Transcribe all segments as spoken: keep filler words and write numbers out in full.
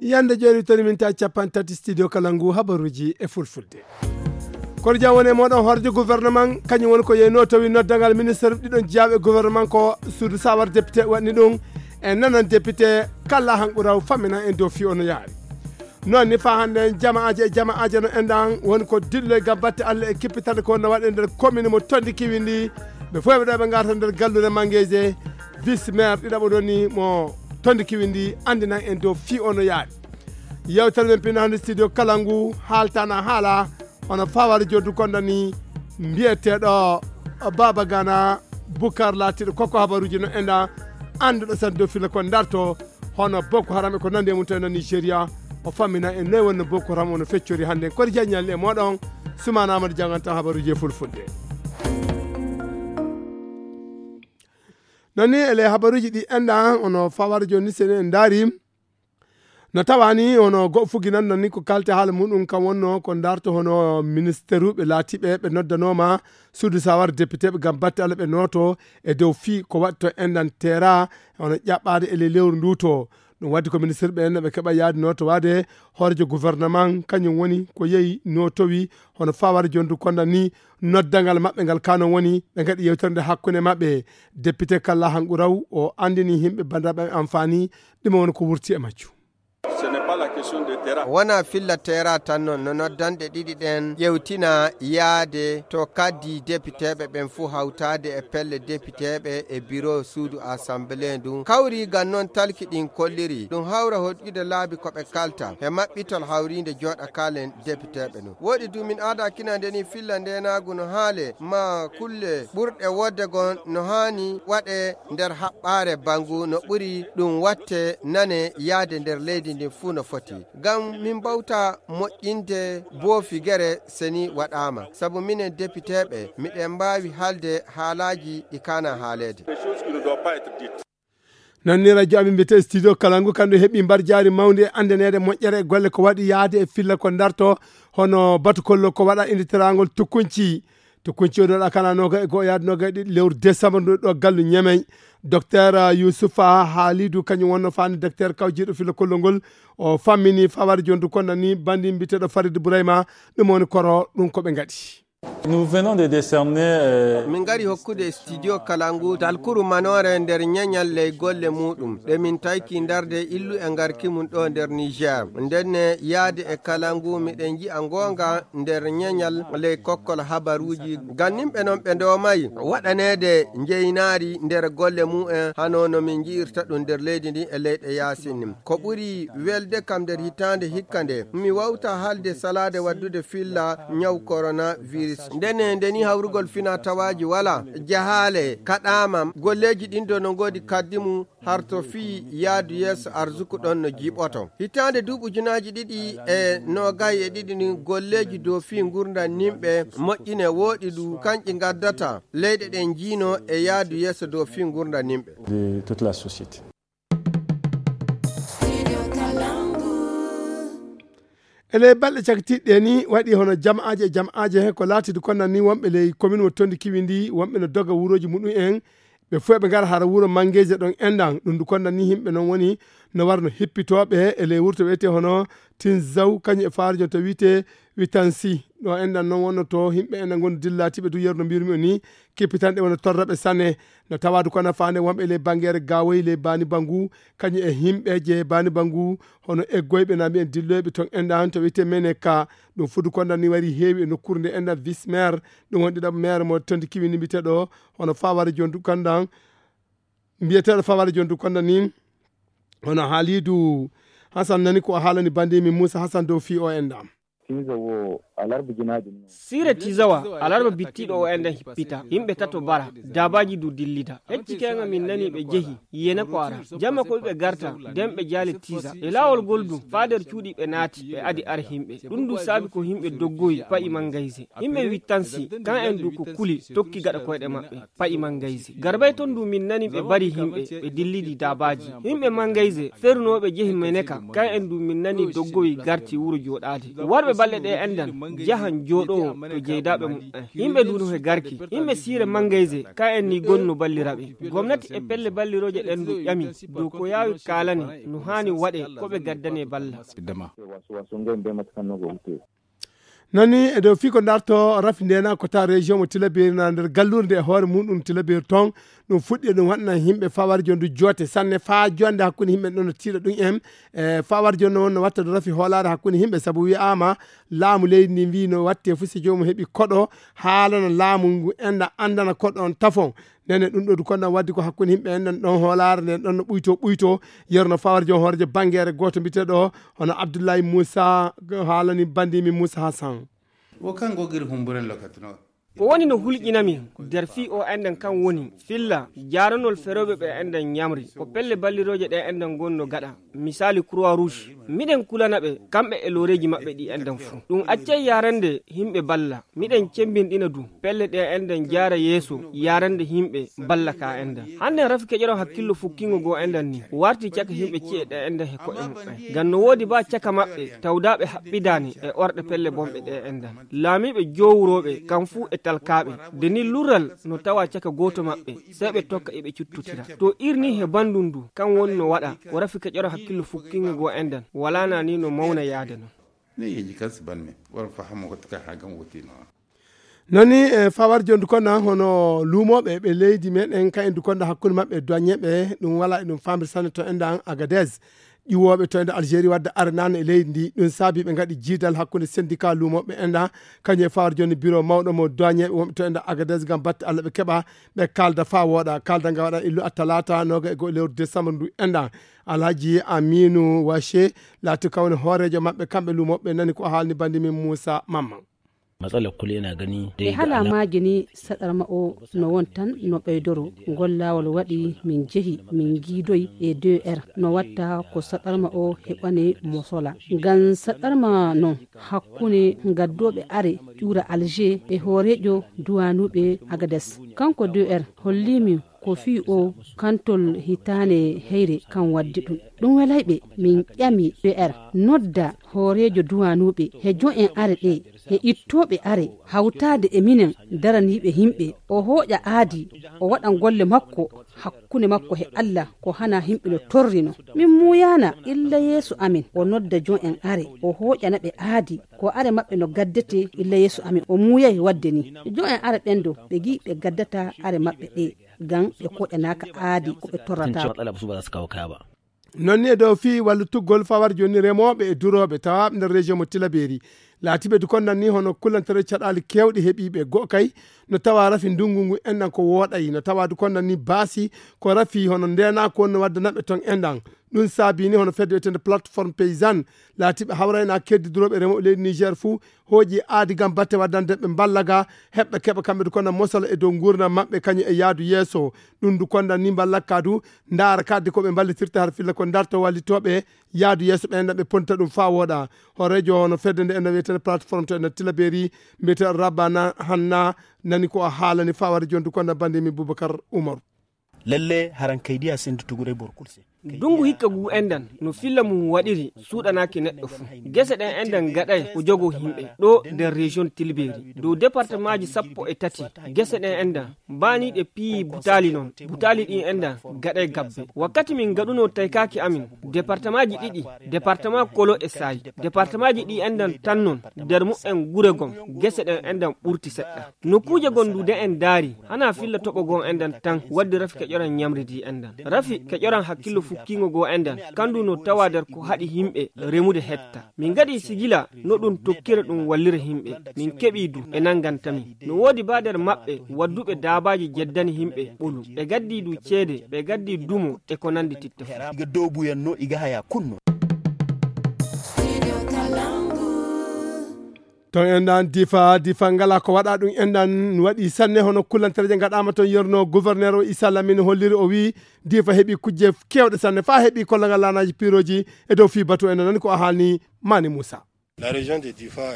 Yande jeeri toni min ta capan tati studio kala ngu habaruji e fulfulde. Kono jam woni e moɗon horjo gouvernement, kañum woni ko yeyno tawi noddangal ministre ɗiɗon jeyaaɓe gouvernement ko suudu sawar député waɗni ɗum. En nanan député kala han ɓuraw fammina en dow fi ono yaari. Noon ni fa hannde en jama'aaje e jama'aaje no enɗan woni ko dillo e gam batte Allah e kippitande ko no waɗe nder commune mo Tondi Kiwindi. Ɓe fof ɓe ɗo ɓe ngarta nder galluure Mangeje, vice maire ɗiɗaɓo ɗon ni mo Tondi Kiwindi anndinan en dow fi ono yaari. Yewtere men pinna hannde studio kala ngu haaltana haala hono fawari joddu konda ni mbiyeteɗo Baba Gana Bukar laatiɗo koko habaruji no enɗan annduɗo san dow fila ko darto hono Boko Haram e ko nandi e mum tawi no Nigeria. O fammina en noy wonno Boko Haram ono feccori hannde en kori jaññalli e moɗon. Sumana Amadou janganta habaruji e fulfulde. Noon ni ele habaruji ɗi enɗan ono fawara joni ni sene en daari no tawani hono goɗɗo fuginan noon ni ko kalte haala muɗum kam wonno ko darto hono ministeruɓe laatiɓe ɓe noddanoma suudu sawar député ɓe gam batte Allah ɓe nooto e dow fii ko waɗto enɗan tera hono ƴaɓɓade e ley lewru ndu to. Ɗum waddi ko ministre ɓe no ɓe keɓa yaade nooto waade hoorejo gouvernement kañum woni ko yehi nootowi hono fawar jondu konda ni noddangal maɓɓe ngal kano woni ɓe gaɗi yewtere nde hakkunde maɓɓe. Député kalla hanqu raw o andini himɓe bandaɓe amfani ɗum woni ko wurti e majju. Wona filla tera tan noon no noddanɗe ɗiɗi ɗen ƴewtina yaade to kaddi depiteeɓe ɓen fuu hawtaade e pelle depiteeɓe e biro suudu assemblée ndun kawri gan noon talki ɗin kolliri ɗum hawra hoɗƴude laabi ko ɓe kalta he maɓɓitol hawriinde jooɗa kaalen depiteeɓe ɗum woɗi du min aada kinande ni filla ndenaagu no haale ma kulle ɓurɗe wodde gon no haani waɗe nder haɓɓaare bangu no ɓuri ɗum watte nane yaade nder leydi ndin fuu no foti ngam min mbawta moƴƴinde boofi gere seni waɗaama sabu minen depiteeɓe miɗen mbaawi haalde haalaaji ɗi kaana haaleede. Nannira joami mbiyete studio kalangu kandu heɓi mbar jaari mawnde e andanede moƴƴere e golle ko waɗi yaade e filla ko darto hono batu kollo ko waɗa inditerangol tukkunci. Tukkunci o ɗoɗa kana noga e go'o yaade noga e ɗiɗi lewru décembre ndu ɗo gallu ñemey. Docteur Youssoufa Halidou kañum wonno fani docteur kawjiɗo filla kollo ngol o fammini fawari jondu konda ni bandi mbiteɗo Farid Bourayma. Ɗum woni koro ɗum ko ɓe gaɗi. Nous venons de décerner euh, min ngari hokkude studio kalangu talkuru manore nder ñeñal ley golle muɗum ɗe min tayki ndarde illu e ngarki mum ɗo nder niger ndenne yaade e kalangu miɗen yi'a ngonga nder ñeñal ley kokkol habaruji ganninɓe non ɓe ndomayi waɗanede njeynaari nder golle mumen hano no min ji'irta ɗum nder leydi ndi e leyɗe yasin ko ɓuri welde kam nder hitande hikka nde mi wawta haalde salaade waddude filla ñaw coronavirus ndene ndeni hawrugol fina tawaaji wala jahaale kaɗaama golleeji ɗin do no ngoodi kaddi mum harto fii yaadu yeeso arsuku ɗon no jiiɓoto hitaande duuɓi ujunaaji ɗiɗi e noogay e ɗiɗi ni golleeji dow fii ngurndan nimɓe moƴƴine wooɗi ɗu kanƴi ngaddata leyɗe ɗen jiino e yaadu yeeso dow fii ngurndan nimɓe. E ley balɗe cakitiɗɗe ni waɗi hono jama'aaje e jama'aaje he ko laatidi konnan ni wonɓe ley komin mo tondi kiwi ndi wonɓe no doga wuroji muɗum en ɓe fof ɓe ngara hara wuro mangeje ɗon endan ɗum ndu konnan ni yimɓe noon woni no warno hippitooɓe e ley wurto wiyete hono tinzaw kañum e faarijo to wiyete witansi ɗo endan noon wonno to yimɓe endan ngonno dillatiɓe du yerno mbirmi o ni kippitanɗe wona torraɓe sanne no tawadu kono faande wonɓe ley bangere gawoyi ley bani bangu kañum e yimɓe je bani bangu hono eggoyɓe na mbiyen dilloyɓe ton endan to wiyete mene ka ɗum fudu kondan ni wari heewi e nokkuure nde endan vice maire ɗum won ɗiɗaɓo maire mo tondi kiwini mbiteɗo hono fawara jondu kandan mbiyeteɗo fawara jondu kondan ni hono haalidu hasan nani ko haalani bandi min moussa hasan dow fi o endan. Sire tizawa alarba bittiɗo o enden hippita yimɓe tato bara dabaji du dillida hecci kenga min nani ɓe jehi yene ko ara jamma ko ɓe garta den ɓe jali tiza e lawol gol du fader cuuɗi ɓe naati ɓe adi ar yimɓe ɗum du saabi ko yimɓe doggoyi pa'i mangayse yimɓe wittansi kan en du ko kuli tokki gaɗa koyɗe maɓɓe pa'i mangayse garbay ton du min nani ɓe bari yimɓe ɓe dillidi dabaji yimɓe mangayse fernoɓe jehi meneka kan en du min nani doggoyi garti wuro joɗade warɓe balɗe ɗe endan jahan jooɗowo to jeydaaɓe mum en. Yimɓe ndu no he garki. Yimɓe siire mangayse, ka en ni gonno balliraɓe. Gomnati e pelle ballirooje ɗen ndu ƴami dow ko yaawi kaalane no haani waɗe ko ɓe gaddane balla. Nani e dow fii ko darto rafi ndena ko ta région mo Tilaberi na nder gallurde e hoore mum ɗum Tilaberi ton. Ɗum fuɗɗi ɗum waɗna yimɓe fawar jondu joote sanne faa jonde hakkunde yimɓe ɗon no tiiɗa ɗum en. E fawar jonde won no watta ɗo rafi hoolaare hakkunde yimɓe sabu wi'ama laamu leydi ndi mbi no watte fu si joomum heɓi koɗo haalana laamu ngu enda andana koɗo on tafon. Nene ɗum ɗo du konnan waddi ko hakkunde yimɓe en ɗon hoolaare nden ɗon no ɓuyto ɓuyto. Yerno fawar jon hoorejo bangere gooto mbiteɗo hono Abdullahi Musa haalani bandimi Musa Hassan. Wo kan gogir humburen lokatino. Ko woni no hulƴinami nder fii o enɗan kan woni filla jaaranol ferooɓe ɓe enɗan ñamri ko pelle ballirooje ɗe enɗan gonno gaɗa. Misaali croix rouge miɗen kulana ɓe kamɓe e looreeji maɓɓe ɗi enɗan fuu. Ɗum accay yaarande yimɓe balla. Miɗen cembinɗina du pelle ɗe enɗan jaara yeeso yaarande yimɓe balla ka enɗan. Hannden rafi keƴoron hakkillo fukkingo goo enɗan ni warti caka yimɓe ci'e ɗe enɗan he ko'e muɓɓen. Ngam no woodi baa caka maɓɓe tawdaaɓe haɓɓidaani e orɗe pelle bonɓe ɗe enɗan. Laamiiɓe jowrooɓe kam fuu e talkaaɓe. Nde ni lurral no tawa caka gooto maɓɓe. Sey ɓe tokka iɓe cuttotira to irni he banndum ndu kan woni no waɗa. Ko rafi keƴoron hakkillo fukkingo goo enɗan walaana ni no mawna yaade non. Ni yeji kan si banmi wala fahamo ko taka ha gam wotino. Nani e fawar jondu konna hono luumoɓe ɓe leydi meɗen kan e dukonda hakkunde maɓɓe e duwañeɓe. Ɗum wala e ɗum famri sanne to enɗan Agadez. Ƴiwooɓe to enɗan Algérie wadde arenano e leydi ndi ɗum saabi ɓe ngaɗi jiidal hakkunde syndicat luumoɓe enɗan. Kañum e fawar jonni bureau mawɗo mo duwañeɓe wonɓe to enɗan Agadez ngam batte Allah ɓe keɓa ɓe kalda fa wooɗa. Kalda nga waɗa illu attalata noga e go'o lewru décembre ndu enɗan. Alhaji Aminu Wache laati kawni hoorejo maɓɓe kamɓe luumoɓe nani ko haalni bandi min Moussa Mamman. Matsalar kullum yana gani e hala maaji ni saɗarma o no won tan no ɓeydoro. Ngol laawol waɗi min jehi min ngiidoy e deux r no watta ko saɗarma o heɓani mo sola. Ngam saɗarma non hakkunde ngaddooɓe are ƴuura Alger e hooreejo duwanuɓe Agades. Kanko deux r holliimi ko fii o kantol hitaande heyre kan waddi ɗum. Ɗum welayɓe min ƴami deux r nodda hooreejo duwanuɓe he jo'en are ɗe he ittooɓe are hawtaade e minen daraniiɓe yimɓe. O hooƴa aadi o waɗan golle makko hakkunde makko he Allah ko hana yimɓe no torrino. Min muuyaana illa yeeso amin o nodda jo'en are o hooƴana ɓe aadi ko are maɓɓe no gaddete illa yeeso amin o muuyay wadde ni. Jo'en are ɓen do ɓe gi ɓe gaddata are maɓɓe ɗe ngam ɓe koƴanaaka aadi ko ɓe torrata. Non ni e dow fii wallutuggol fawar jonni remooɓe e durooɓe tawaaɓe nder région mo Tilaberi. Laatiiɓe du konnan ni hono kullantere caɗaali keewɗi heɓiiɓe go'o kay no tawa rafi ndungu ngu enɗan ko wooɗayi no tawa du konnan ni baasi ko rafi hono ndeenaako wonno waddanaɓe ton enɗan. Ɗum saabi ni hono fedde wiyetende plateforme paysanne laatiiɓe hawrayna keddi durooɓe remooɓe leydi Niger fuu hooƴi aadi ngam batte waddande ɓe mballa ga heɓɓe keɓa kamɓe du konnan mosala e dow nguurndam maɓɓe kañum e yaadu yeeso. Ɗum du konnan ni mballakka du ndaara kadde ko ɓe mballitirta har filla ko darto wallitooɓe yaadu yeeso ɓe enɗan ɓe ponta ɗum faa wooɗa. Hooreejo hono fedde nde enɗan wiyetende plateforme to enɗan Tilaberi mbiyete Rabana Hanna nani ko o haalani fawari jondu konnan bande mi Boubacar Umaru. Lalle haran kaydiya sendu tuguray bor kulse. Dungu hikka gu enɗan no filla mum waɗiri suuɗanaaki neɗɗo fuu. Gese ɗen enɗan gaɗay ko jogo yimɓe ɗo nder région Tilberi dow départemaaji sappo e tati. Gese ɗen enɗan mbaaniiɗe piyi butaali non. Butaali ɗin enɗan gaɗay gabbe. Wakkati min ngaɗunoo taykaaki amin départemaaji ɗiɗi, département Kolo e Saay, départemaaji ɗi enɗan tan non nder mu'en gure gom gese ɗen enɗan ɓurti seɗɗa. Nokkuuje gonɗuɗe en ndaari hana filla toɓo goo enɗan tan waddi rafi keƴoran ñamri ndi enɗan. Rafi keƴoran hakkillo fukkiingo goo enɗan kandu no tawa nder ko haɗi yimɓe remude hetta. Min ngaɗi sigila no ɗum tokkira ɗum wallira yimɓe. Min keɓi du ɓe nanganta min. No woodi baa nder maɓɓe wadduɓe daabaaji jeddani yimɓe ɓolu. Ɓe gaddi du ceede, ɓe gaddi dumo e ko nandi titta fuu. Iga dobuyanno iga haya kunno. Ton enɗan difa difa ngala ko waɗa ɗum enɗan waɗi sanne hono kullantereje gaɗama ton yerno gouverneur o Issa Lamine holliri o wi difa heɓi kujje kewɗe sanne fa heɓi kollagal lanaji piroji. E dow fi batu enɗan nani ko a haalni Mani Moussa. La région de Difa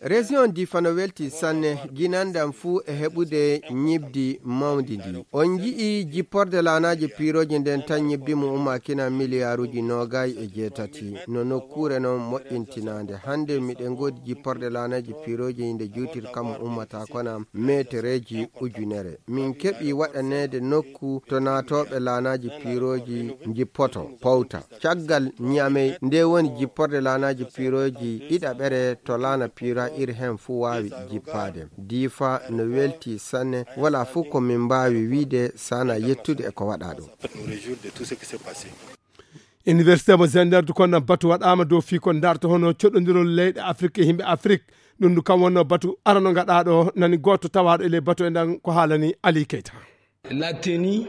est Région Difa no welti sanne, ginandan fuu e heɓude ñibdi mawndi ndi. On nji'i jipporde laanaaji piirooji nden tan ñibdi mum ummaakina miliyaaruuji noogay e jeetati. No nokkuure non moƴƴintinaande. Hannde miɗen ngoodi jipporde laanaaji piirooji nde juutirka mum ummata kona meetereeji ujunere. Min keɓi waɗaneede nokku to naatooɓe laanaaji piirooji njippoto, powta. Caggal Ñamey, nde woni jipporde laanaaji piirooji ɗiɗaɓere to laana piira iri hen fuu waawi jippaade. Diifa no welti sanne, wala fuu ko min mbaawi wiide sana yettude e ko waɗaa ɗo. Université mo Zender du kono batu waɗaama dow fii ko ndarta hono coɗondirol leyɗe Afrik e yimɓe Afrik. Ɗum du kam wonno batu arano gaɗaaɗo, nani gooto tawaaɗo e ley batu e ndan ko haalani Ali Keita. La tenue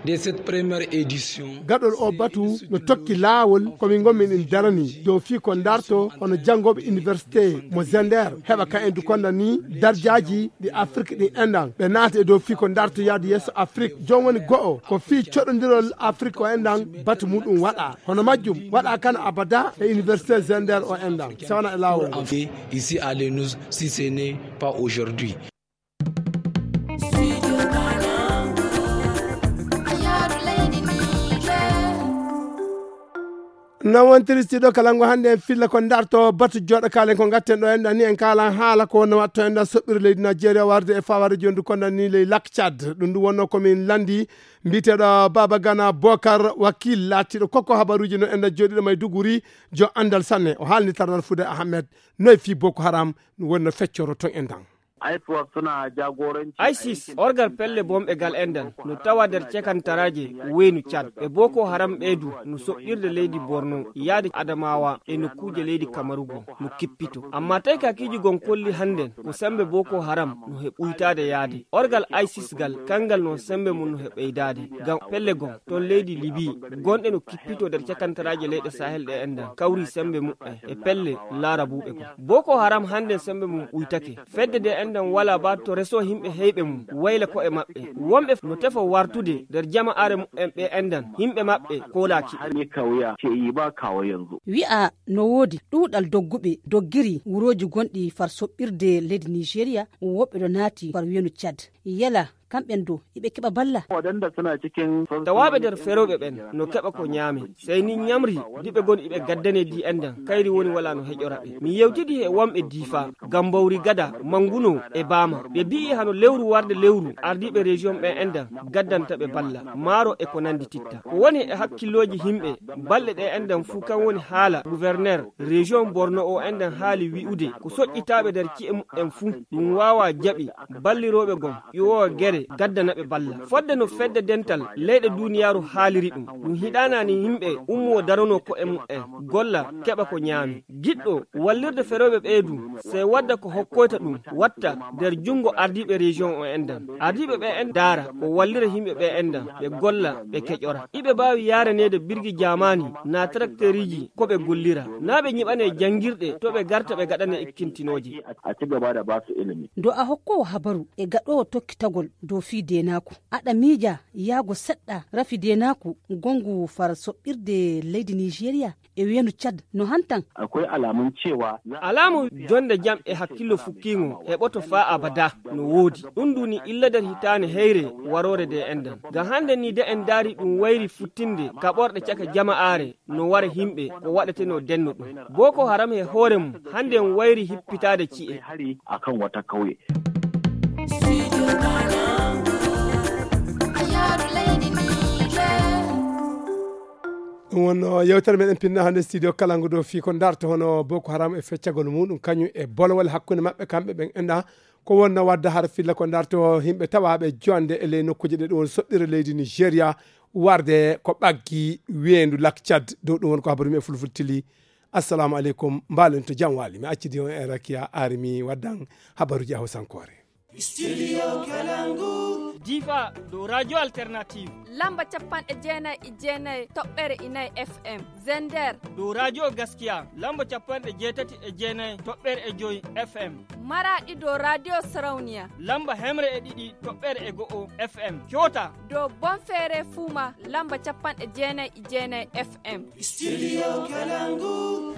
de cette première édition. Gaɗol o batu no tokki laawol ko min ngonmi min darani dow fii ko ndarto hono janngooɓe université mo Zender heɓa ka en du konda ni darjaaji ɗi Afrik ɗi enɗan. Ɓe naata e dow fii ko ndarto yaadu yeeso Afrik. Joom woni go'o ko fii coɗondirol Afrik o enɗan batu muɗum waɗa. Hono majjum waɗa kan abada e université Zender o enɗan. Sawana e laawol ngol. Ici à Lenus, si ce n'est pas aujourd'hui. Non wontiri studio kalangu hannde en filla ko ndarto batu joɗo kalen ko gatten ɗo en ɗani en kalan haala ko wonno watto en ɗan soɓɓiri leydi Nigeria warde e faware jondu ko ɗan ni ley lak Tchad. Ɗum ɗum wonno ko min landi mbiyeteɗo Baba Gana Bokar Wakil laatiɗo koko habaruji no en ɗan joɗiɗo may duguri jo andal sanne o haalni tarnal Fude Ahmed noy fi Boko Haram ɗum wonno feccoro ton en ɗan. Isis orgal pelle bomɓe gal enɗan no tawa nder cekantaraaje weynu Cad. Ɓe Boko Haram ɓeydu no soɓɓirde leydi Borno yaade Adamawa e nokkuuje leydi Kamaru gom no kippito. Amma tawi kakiiji gon kolli hannden ko sembe Boko Haram no he ɓuytaade yaade. Orgal Isis gal kanngal non sembe mum no he ɓeydaade. Ngam pelle gom ton leydi Libi gonɗe no kippito nder cekantaraaje leyɗe Sahel ɗe enɗan kawri sembe muɓɓen e pelle laarabuɓe gom. Boko Haram hannden sembe mum ɓuytake. Fedde nde enɗan wala ba to reso himɓe heyɓe mum wayla ko'e maɓɓe. Wonɓe no tefo wartude nder jama'aare muɓɓen ɓe enɗan himɓe maɓɓe koolaaki. Wi'a no woodi ɗuuɗal dogguɓe doggiri wurooji gonɗi far soɓɓirde leydi Nigeria, woɓɓe ɗo naati far wiyanu Cad. Yala kamɓen do iɓe keɓa balla. Tawaaɓe nder ferooɓe ɓen no keɓa ko ñaame. Sey ni ñamri diɓe gon iɓe gaddane di enɗan kayri woni wala no heƴora ɓe. Mi yewtidi he wonɓe Diifa, Gambawri Gada, Manguno e Baama. Ɓe bi'i hano lewru warde lewru ardiiɓe région ɓen enɗan gaddanta ɓe balla, maaro e ko nandi titta. Ko woni e hakkillooji himɓe balɗe ɗe enɗan fuu kan woni haala gouverneur région Borno o enɗan haali wi'ude ko soƴƴitaaɓe nder ci'e muɓɓen fuu ɗum waawa jaɓi ballirooɓe gom ƴuwoowa gere gaddana ɓe balla. Fodde no fedde dental leyɗe duuniyaaru haaliri ɗum, ɗum hiɗaanaani yimɓe ummoo daronoo ko'e muɓɓen, golla, keɓa ko ñaami. Giɗɗo wallirde ferooɓe ɓee du, sey wadda ko hokkoyta ɗum, watta nder junngo ardiiɓe région o enɗan. Ardiiɓe ɓe en ndaara ko wallira yimɓe ɓe enɗan, ɓe golla, ɓe keƴora. Iɓe mbaawi yaaraneede birgi jaamaani naa trakteeriiji ko ɓe gollira, naa ɓe ñiɓanee janngirɗe to ɓe garta ɓe gaɗanee ekkintinooje. A ci gaba da ba su ilimi. Do a hokkoowo habaru e gaɗoowo tokkitagol dow fii deenaaku. Aɗa miija yaago seɗɗa rafi deenaaku gonngu far soɓɓirde leydi Nigeria e wiyanu Cad no hantan. Akwai alamun cewa alaamu jonde jam e hakkillo fukkiingo heɓoto faa abada no woodi. Ɗum nduni illa nder hitaande heyre waroore nde enɗan. Ngam hannde ni de en ndaari ɗum wayri futtinde kaɓorɗe caka jama'aare no wara himɓe ko waɗetenoo denno ɗum. Boko Haram he hoore mum hannde en wayri hippitaade ci'e. Hari akan wata kauye. Ɗum wonno yewtere meɗen pinna hannde studio kalangu dow fii ko ndarto hono Boko Haram e feccagol muɗum kañum e bolowol hakkunde maɓɓe kamɓe ɓen enɗa ko wonno wadda har filla ko ndarto yimɓe tawaaɓe jonde e ley nokkuuje ɗe ɗum woni soɓɓire leydi Nigeria warde ko ɓaggi weendu lak Cad. Dow ɗum woni ko habaru mi e fulfultili. Assalamu aleykum, mbaalen to jam waali. Mi accidi on e rakiya ari mi waddan habaruji e hawsankoore. Studio Kalangu. Difa dow Radio Alternative. Lamba capanɗe jeenayi e jeenayi toɓɓere inayi F M. Zender. Dow Radio Gaskiya. Lamba capanɗe jeetati e jeenayi toɓɓere e joyi F M. Maraɗi dow Radio Sarauniya. Lamba hemre e ɗiɗi toɓɓere e go'o F M. Kyota. Dow Bonfere Fuma. Lamba capanɗe jeenayi e jeenayi F M. Studio Kalangu.